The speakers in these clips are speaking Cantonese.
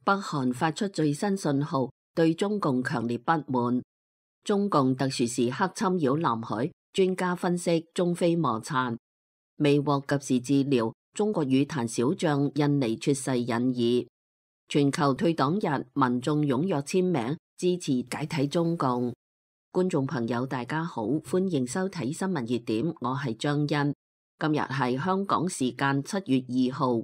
北韓發出最新信號，對中共強烈不滿。中共特殊時刻侵擾南海，專家分析中非摩擦。未獲及時治療，中國羽壇小將印尼猝逝引議。全球退黨日，民眾踴躍簽名支持解體中共。觀眾朋友大家好，歡迎收睇新聞熱點，我係張欣。今日係香港時間7月2號。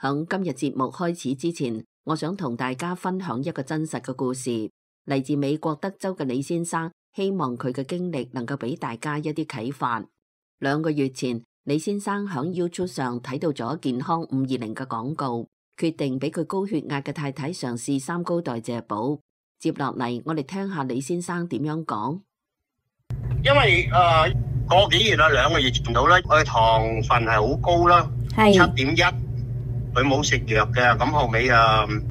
響今日節目開始之前，我想同大家分享一個真實嘅故事，嚟自美國德州嘅李先生，希望佢嘅經歷能夠俾大家一啲啟發。2個月前，李先生響 YouTube 上睇到咗健康520嘅廣告，決定俾佢高血壓嘅太太嘗試3高代謝寶。接落嚟，我哋聽下李先生點樣講。因為個幾月啦，2個月前到啦，佢糖分係好高啦，7.1，佢冇食藥嘅，咁後尾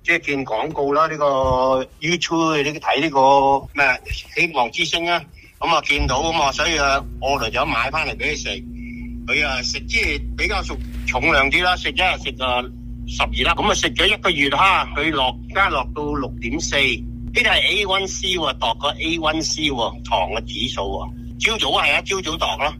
即係見廣告啦，呢個 YouTube 你睇呢個咩希望之星啊，咁見到啊嘛，所以我嚟咗買翻嚟俾佢食，佢食即係比較重量啲啦，食一日食12粒，咁食咗1個月哈，佢而家落到6.4，呢啲係 A1C 喎，度個 A1C 喎，糖嘅指數喎，朝早係啊，朝早度咯，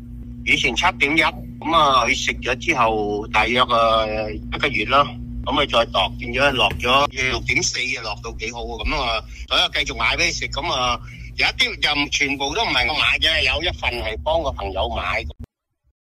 以前7.1，咁佢食咗之後大約1個月啦，咁佢再度變咗落咗6.4，落到幾好喎，咁所以繼續買俾佢食，咁有一啲就全部都唔係我買嘅，有一份係幫個朋友買。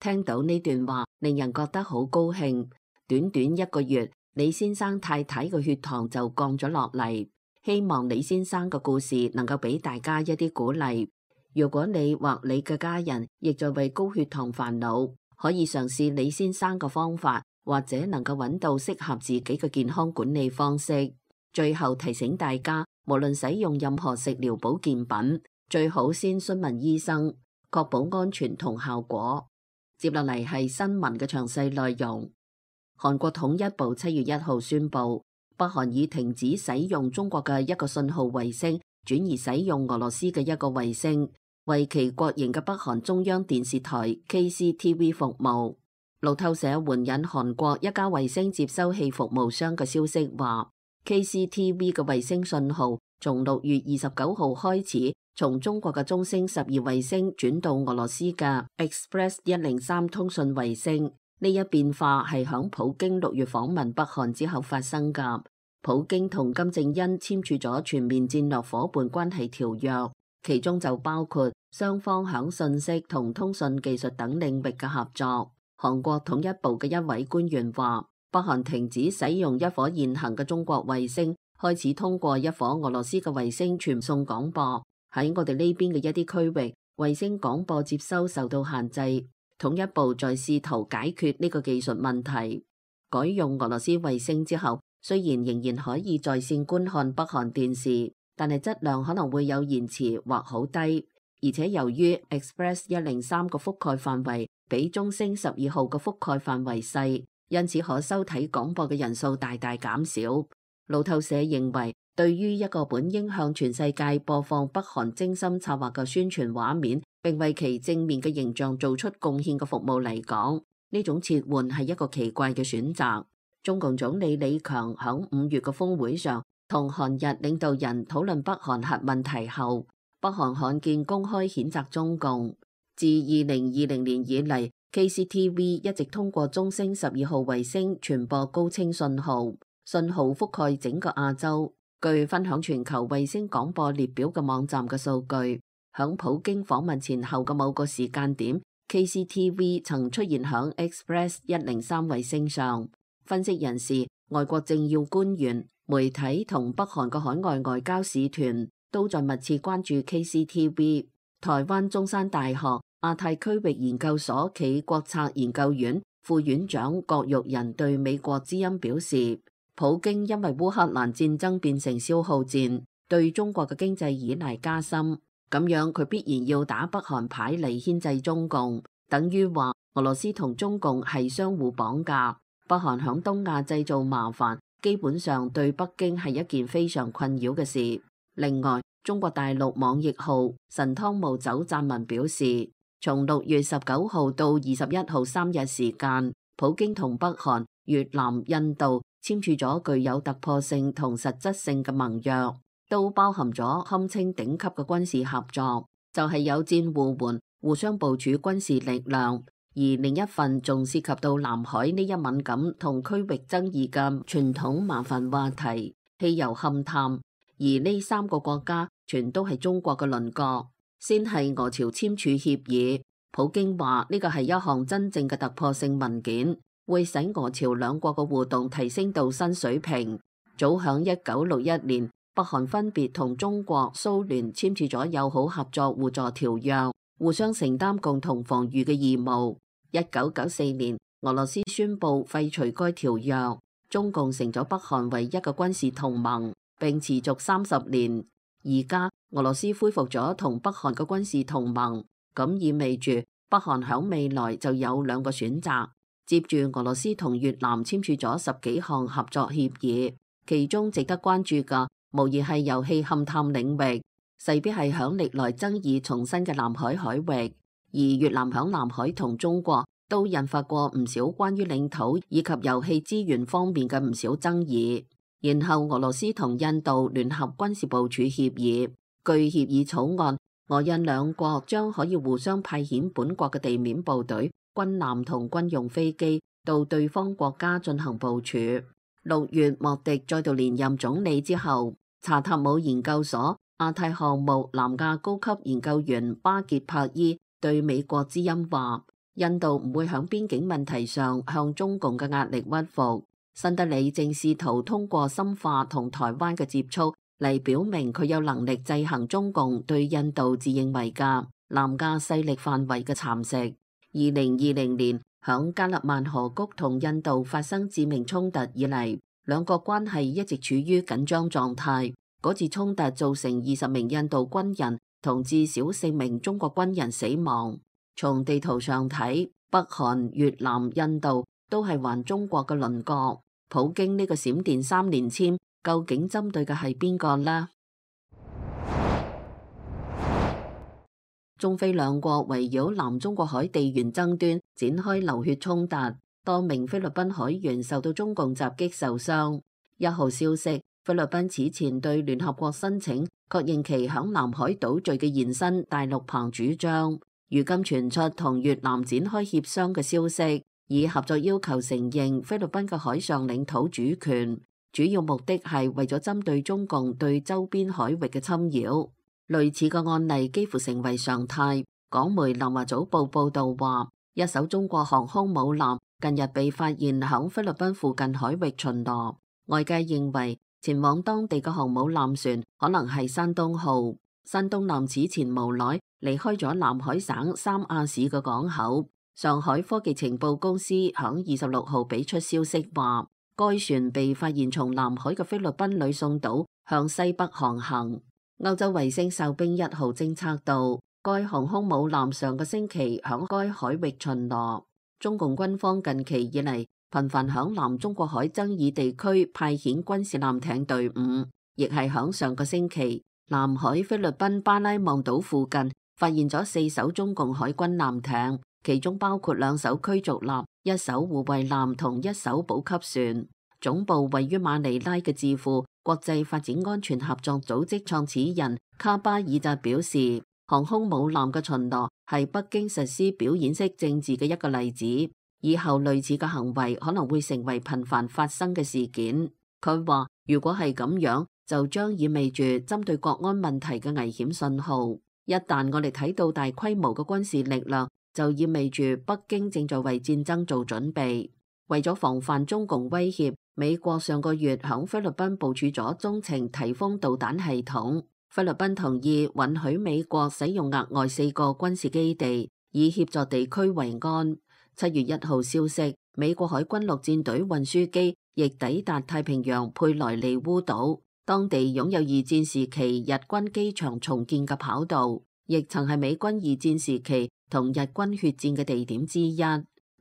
聽到呢段話，令人覺得好高興。短短1個月，李先生太太嘅血糖就降咗落嚟。希望李先生嘅故事能夠俾大家一啲鼓勵。如果你或你嘅家人亦在為高血糖煩惱，可以嘗試李先生嘅方法，或者能夠揾到適合自己嘅健康管理方式。最後提醒大家，無論使用任何食療保健品，最好先詢問醫生，確保安全同效果。接落嚟係新聞嘅詳細內容。韓國統一部7月1號宣布，北韓已停止使用中國嘅一個信號衛星，轉移使用俄羅斯嘅一個衛星，為其國營嘅北韓中央電視台 KCTV 服務。路透社援引韓國一家衛星接收器服務商嘅消息話，KCTV 嘅衛星信號從6月29號開始，從中國嘅中星12衛星轉到俄羅斯嘅 Express 103通訊衛星。呢一變化係響普京6月訪問北韓之後發生㗎。普京同金正恩簽署咗全面戰略夥伴關係條約，其中就包括雙方響信息同通訊技術等領域嘅合作。韓國統一部嘅一位官員話，北韓停止使用一顆現行嘅中國衛星，開始通過一顆俄羅斯嘅衛星傳送廣播。喺我哋呢邊嘅一啲區域，衛星廣播接收受到限制。統一部在試圖解決呢個技術問題。改用俄羅斯衛星之後，雖然仍然可以在線觀看北韓電視，但係質量可能會有延遲或好低。而且由於 Express 103個覆蓋範圍比中星12號嘅覆蓋範圍細，因此可收睇廣播嘅人數大大減少。路透社認為，對於一個本應向全世界播放北韓精心策劃嘅宣傳畫面，並為其正面嘅形象做出貢獻嘅服務嚟講，呢種切換係一個奇怪嘅選擇。中共總理李強響5月嘅峰會上同韓日領導人討論北韓核問題後，北韓罕見公開譴責中共。自2020年以嚟，KCTV 一直通過中星12號衛星傳播高清信號，信號覆蓋整個亞洲。據分享全球衛星廣播列表嘅網站嘅數據，響普京訪問前後嘅某個時間點， KCTV 曾出現響 Express 103衛星上。分析人士、外國政要官員、媒體同北韓嘅海外外交使團都在密切關注 KCTV。台灣中山大學亞太區域研究所暨國策研究院副院長郭玉仁對美國之音表示，普京因為烏克蘭戰爭變成消耗戰，對中國嘅經濟依賴加深，咁樣佢必然要打北韓牌嚟牽制中共，等於話俄羅斯同中共係相互綁架。北韓響東亞製造麻煩，基本上對北京係一件非常困擾嘅事。另外，中國大陸網易號神湯姆酒撰文表示，從6月19號到21號3日時間，普京同北韓、越南、印度簽署咗具有突破性同實質性嘅盟約，都包含咗堪稱頂級嘅軍事合作，就係有戰互援，互相部署軍事力量。而另一份仲涉及到南海呢一敏感同區域爭議嘅傳統麻煩話題——氣油勘探。而呢3個國家全都係中國嘅鄰國。先係俄朝簽署協議，普京話呢個係一項真正嘅突破性文件，會使俄朝兩國嘅互動提升到新水平。早響1961年，北韓分別同中國、蘇聯簽署咗友好合作互助條約，互相承擔共同防禦嘅義務。1994年，俄羅斯宣布廢除該條約，中共成咗北韓唯一嘅軍事同盟，並持續30年。而家俄羅斯恢復咗同北韓嘅軍事同盟，咁意味住北韓響未來就有2個選擇。接住俄羅斯同越南簽署咗10幾項合作協議，其中值得關注嘅無疑係油氣勘探領域，勢必係響歷來爭議重新嘅南海海域。而越南響南海同中國都引發過唔少關於領土以及油氣資源方面嘅唔少爭議。然後俄羅斯同印度聯合軍事部署協議，據協議草案，俄印兩國將可以互相派遣本國嘅地面部隊、軍艦同軍用飛機到對方國家進行部署。6月莫迪再度連任總理之後，查塔姆研究所亞太項目南亞高級研究員巴傑帕伊對美國之音話，印度唔會響邊境問題上向中共嘅壓力屈服。新德里正試圖通過深化同台灣嘅接觸嚟表明佢有能力制衡中共對印度自認為嘅南亞勢力範圍嘅蠶食。2020年響加勒萬河谷同印度發生致命衝突以嚟，兩國關係一直處於緊張狀態。嗰次衝突造成20名印度軍人同至少4名中國軍人死亡。從地圖上睇，北韓、越南、印度都係還中國嘅鄰國。普京呢個閃電3連簽，究竟針對嘅係邊個呢？中菲兩國圍繞南中國海地緣爭端展開流血衝突，多名菲律賓海員受到中共襲擊受傷。1號消息，菲律賓此前對聯合國申請確認其響南海島嶼嘅延伸大陸棚主張，如今傳出同越南展開協商嘅消息，以合作要求承認菲律賓嘅海上領土主權，主要目的係為咗針對中共對周邊海域嘅侵擾。類似嘅案例幾乎成為常態。港媒南華早報報道話，一艘中國航空母艦近日被發現響菲律賓附近海域巡邏，外界認為前往當地嘅航母艦船可能係山東號。山東艦此前無耐離開咗南海省三亞市嘅港口。上海科技情報公司響26號俾出消息話，該船被發現從南海嘅菲律賓呂宋島向西北航行。歐洲衛星哨兵1號偵測到該航空母艦上個星期響該海域巡邏。中共軍方近期以嚟頻繁響南中國海爭議地區派遣軍事艦艇隊伍，亦係響上個星期，南海菲律賓巴拉望島附近發現咗4艘中共海軍艦艇，其中包括2艘驅逐艦、1艘護衛艦同1艘補給船。總部位於馬尼拉嘅智庫國際發展安全合作組織創始人卡巴爾扎表示，航空母艦嘅巡邏係北京實施表演式政治嘅一個例子，以後類似嘅行為可能會成為頻繁發生嘅事件。佢話，如果係咁樣，就將意味住針對國安問題嘅危險信號。一旦我哋睇到大規模嘅軍事力量，就意味住北京正在為戰爭做準備。為咗防範中共威脅，美國上個月響菲律賓部署咗中程提豐導彈系統。菲律賓同意允許美國使用額外4個軍事基地，以協助地區維安。7月1號消息，美國海軍陸戰隊運輸機亦抵達太平洋佩萊利烏島，當地擁有2戰時期日軍機場重建嘅跑道，亦曾係美軍2戰時期同日軍血戰嘅地點之一。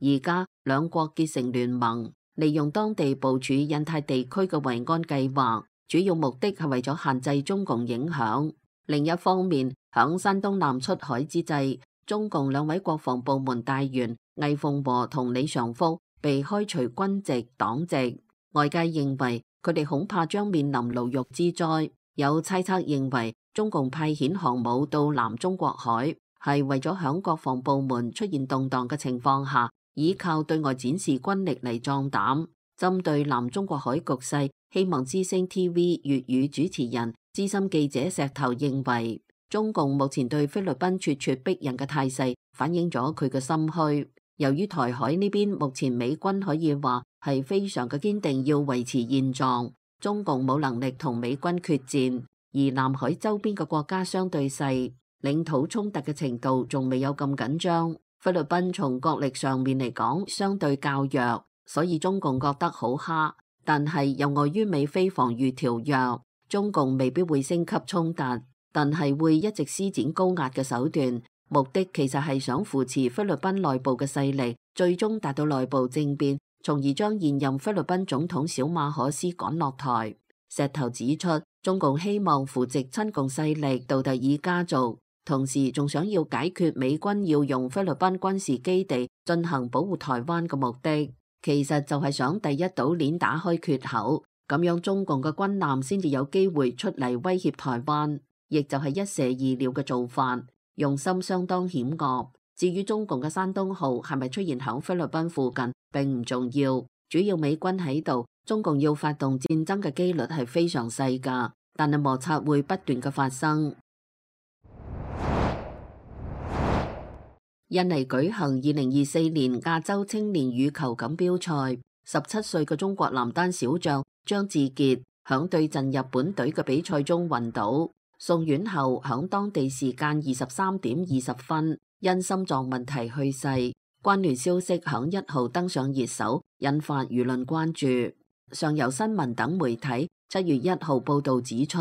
而家兩國結成聯盟，利用當地部署印太地區嘅維安計劃，主要目的係為咗限制中共影響。另一方面，響山東艦出海之際，中共2位國防部門大員魏鳳和同李尚福被開除軍籍、黨籍。外界認為佢哋恐怕將面臨牢獄之災。有猜測認為中共派遣航母到南中國海，係為咗響國防部門出現動盪嘅情況下，依靠對外展示軍力嚟壯膽。針對南中國海局勢，希望之聲 TV 粵語主持人資深記者石頭認為，中共目前對菲律賓咄咄逼人嘅態勢，反映咗佢嘅心虛。由於台海呢邊目前美軍可以話係非常嘅堅定，要維持現狀，中共冇能力同美軍決戰，而南海周邊嘅國家相對細，領土衝突嘅程度仲未有咁緊張。菲律賓從國力上面嚟講相對較弱，所以中共覺得好蝦。但係又礙於美菲防禦條約，中共未必會升級衝突，但係會一直施展高壓嘅手段，目的其實係想扶持菲律賓內部嘅勢力，最終達到內部政變，從而將現任菲律賓總統小馬可斯趕落台。石頭指出，中共希望扶植親共勢力杜特爾家族，同時仲想要解決美軍要用菲律賓軍事基地進行保護台灣嘅目的，其實就係想第一島鏈打開缺口，咁樣中共嘅軍艦先至有機會出嚟威脅台灣，亦就係一石二鳥嘅做法，用心相當險惡。至於中共嘅山東號係咪出現響菲律賓附近並唔重要，主要美軍喺度，中共要發動戰爭嘅機率係非常細㗎，但係摩擦會不斷嘅發生。印尼舉行2024年亞洲青年羽球錦標賽，17歲嘅中國男單小將張志傑響對陣日本隊嘅比賽中暈倒，送院後響當地時間23點20分因心臟問題去世。關聯消息響1號登上熱搜，引發輿論關注。上游新聞等媒體7月1號報道指出，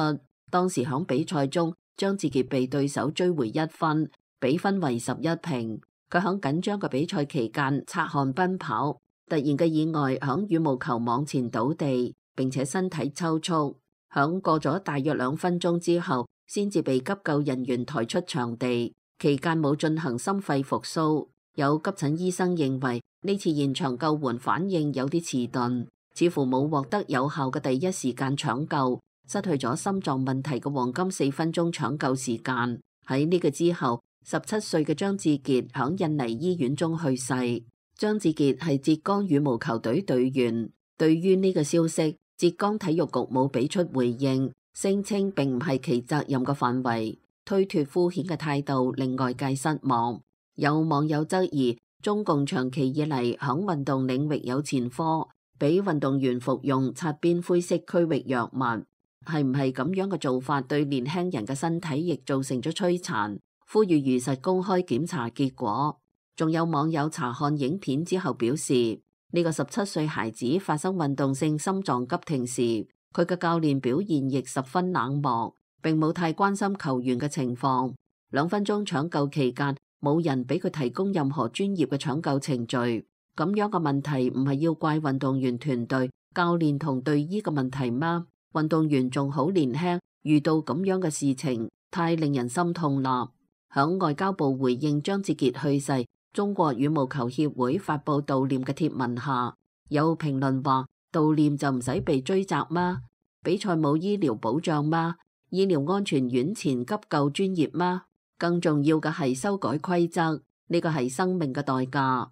當時響比賽中張志傑被對手追回1分，比分為11平。佢響緊張嘅比賽期間擦汗奔跑，突然嘅意外響羽毛球網前倒地，並且身體抽搐。響過咗大約2分鐘之後，先至被急救人員抬出場地。期間冇進行心肺復甦。有急診醫生認為呢次現場救援反應有啲遲鈍，似乎冇獲得有效嘅第一時間搶救，失去咗心臟問題嘅黃金4分鐘搶救時間。喺呢個之後，17歲嘅張志傑響印尼醫院中去世。張志傑係浙江羽毛球隊隊員。對於呢個消息，浙江體育局冇俾出回應，聲稱並唔係其責任嘅範圍，推脫敷衍嘅態度令外界失望。有網友質疑，中共長期以嚟響運動領域有前科，俾運動員服用擦邊灰色區域藥物，係唔係咁樣嘅做法對年輕人嘅身體亦造成咗摧殘？呼籲如實公開檢查結果。仲有網友查看影片之後表示，呢個17歲孩子發生運動性心臟急停時，佢嘅教練表現亦十分冷漠，並冇太關心球員嘅情況。2分鐘搶救期間，冇人俾佢提供任何專業嘅搶救程序。咁樣嘅問題唔係要怪運動員團隊、教練同隊醫嘅問題嗎？運動員仲好年輕，遇到咁樣嘅事情，太令人心痛啦。響外交部回應張志傑去世，中國羽毛球協會發佈悼念嘅貼文下，有評論話：悼念就唔使被追責嗎？比賽冇醫療保障嗎？醫療安全院前急救專業嗎？更重要嘅係修改規則，呢個係生命嘅代價。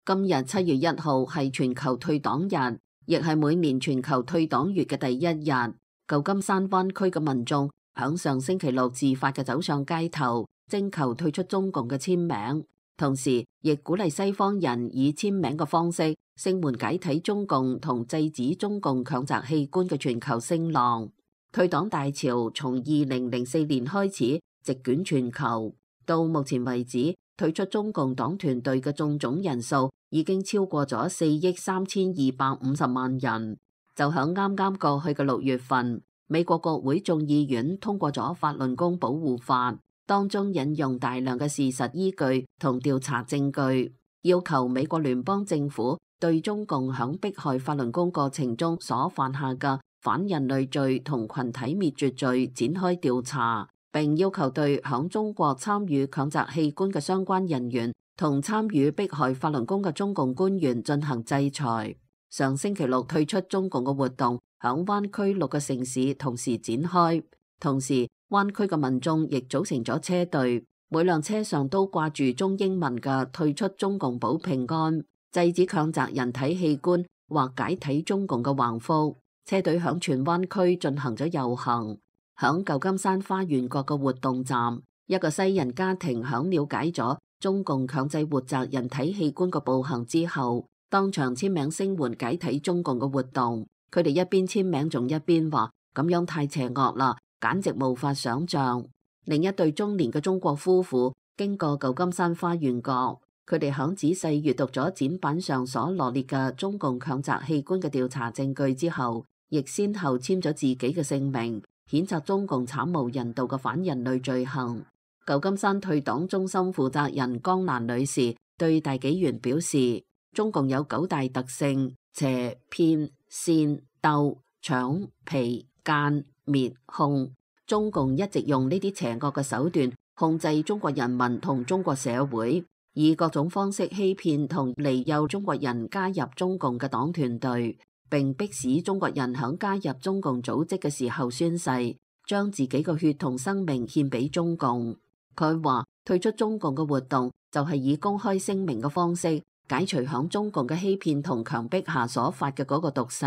今日7月1號係全球退黨日，亦係每年全球退黨月嘅第一日。舊金山灣區嘅民眾響上星期六自發嘅走上街頭，徵求退出中共嘅簽名，同時亦鼓勵西方人以簽名嘅方式聲援解體中共同制止中共強摘器官嘅全球聲浪。退黨大潮從2004年開始席捲全球，到目前為止，退出中共黨團隊嘅眾總人數已經超過咗4億3250萬人。就響啱啱過去嘅6月份，美國國會眾議院通過咗法輪功保護法，當中引用大量嘅事實依據同調查證據，要求美國聯邦政府對中共響迫害法輪功過程中所犯下嘅反人類罪同群體滅絕罪展開調查，並要求對響中國參與強摘器官嘅相關人員同參與迫害法輪功嘅中共官員進行制裁。上星期六退出中共嘅活動響灣區6個城市同時展開，同時灣區嘅民眾亦組成咗車隊，每輛車上都掛住中英文嘅退出中共保平安、制止強摘人體器官或解體中共嘅橫幅。車隊響全灣區進行咗遊行。響舊金山花園角嘅活動站，一個西人家庭響了解咗中共強制活摘人體器官嘅暴行之後，當場簽名聲援解體中共嘅活動。佢哋一邊簽名仲一邊話：咁樣太邪惡啦，簡直無法想象。另一對中年嘅中國夫婦經過舊金山花園角，佢哋響仔細閱讀咗展板上所羅列嘅中共強摘器官嘅調查證據之後，亦先後簽咗自己嘅姓名，譴責中共慘無人道嘅反人類罪行。舊金山退黨中心負責人江蘭女士對大紀元表示，中共有9大特性：邪、騙、煽、鬥、搶、皮、奸、滅、控。中共一直用呢啲邪惡嘅手段控制中國人民同中國社會，以各種方式欺騙同利誘中國人加入中共嘅黨團隊，並迫使中國人響加入中共組織嘅時候宣誓，將自己嘅血同生命獻俾中共。佢話退出中共嘅活動就係以公開聲明嘅方式解除響中共嘅欺騙同強迫下所發嘅嗰個毒誓。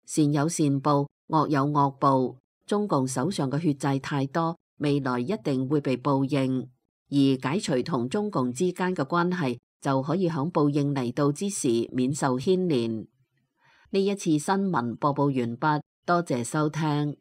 善有善報，惡有惡報。中共手上嘅血債太多，未來一定會被報應。而解除同中共之間嘅關係，就可以響報應嚟到之時免受牽連。呢一次新聞播報完畢，多謝收聽。